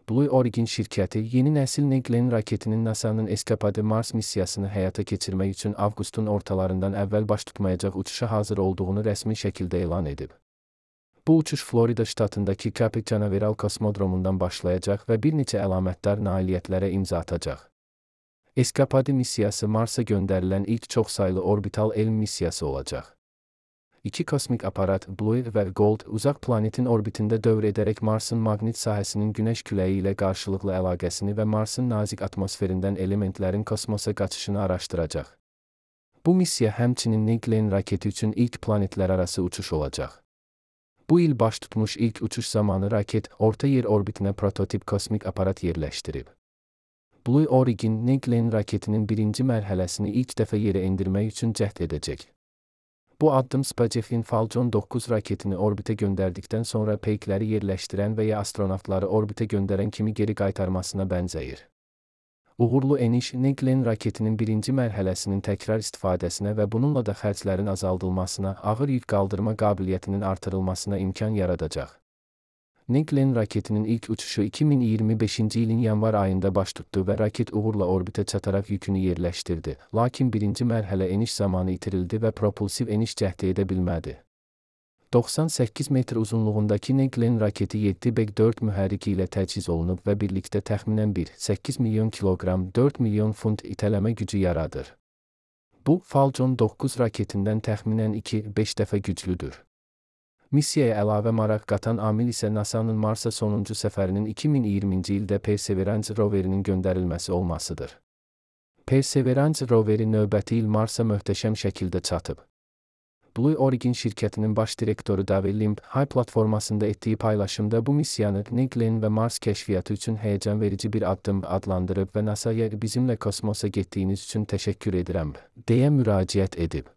Blue Origin şirkəti yeni nəsil New Glenn raketinin NASA'nın Escapade Mars missiyasını həyata keçirmək üçün avqustun ortalarından əvvəl baş tutmayacaq uçuşa hazır olduğunu rəsmi şəkildə elan edib. Bu uçuş Florida ştatındakı Cape Canaveral kosmodromundan başlayacaq və bir neçə əlamətdar nailiyyətlərə imza atacaq. Escapade missiyası Marsa göndərilən ilk çoxsaylı orbital elm missiyası olacaq. İki kosmik aparat, Blue və Gold, uzaq planetin orbitində dövr edərək Marsın maqnit sahəsinin Günəş küləyi ilə qarşılıqlı əlaqəsini və Marsın nazik atmosferindən elementlərin kosmosa qaçışını araşdıracaq. Bu missiya həmçinin New Glenn raketi üçün ilk planetlərarası uçuş olacaq. Bu il baş tutmuş ilk uçuş zamanı raket, orta yer orbitinə prototip kosmik aparat yerləşdirib. Blue Origin, New Glenn raketinin birinci mərhələsini ilk dəfə yerə endirmək üçün cəhd edəcək. Bu addım SpaceX'in Falcon 9 raketini orbitə göndərdikdən sonra peykləri yerləşdirən və ya astronavtları orbitə göndərən kimi geri qaytarmasına bənzəyir. Uğurlu eniş, New Glenn raketinin birinci mərhələsinin təkrar istifadəsinə və bununla da xərclərin azaldılmasına, ağır yük qaldırma qabiliyyətinin artırılmasına imkan yaradacaq. New Glenn raketinin ilk uçuşu 2025-ci ilin yanvar ayında baş tutdu və raket uğurla orbitə çataraq yükünü yerləşdirdi. Lakin birinci mərhələ eniş zamanı itirildi və propulsiv eniş cəhdi edə bilmədi. 98 metr uzunluğundakı New Glenn raketi 7B4 mühərriki ilə təchiz olunub və birlikdə təxminən 1,8 milyon kiloqram, 4 milyon funt itələmə gücü yaradır. Bu, Falcon 9 raketindən təxminən 2-5 dəfə güclüdür. Missiyaya əlavə maraq qatan amil isə NASA'nın Marsa sonuncu səfərinin 2020-ci ildə Perseverance roverinin göndərilməsi olmasıdır. Perseverance roveri növbəti il Marsa möhtəşəm şəkildə çatıb. Blue Origin şirkətinin baş direktoru Dave Limb, High platformasında etdiyi paylaşımda bu missiyanı New Glenn və Mars kəşfiyyatı üçün həyəcan verici bir addım adlandırıb və NASA'ya bizimlə kosmosa getdiyiniz üçün təşəkkür edirəm, deyə müraciət edib.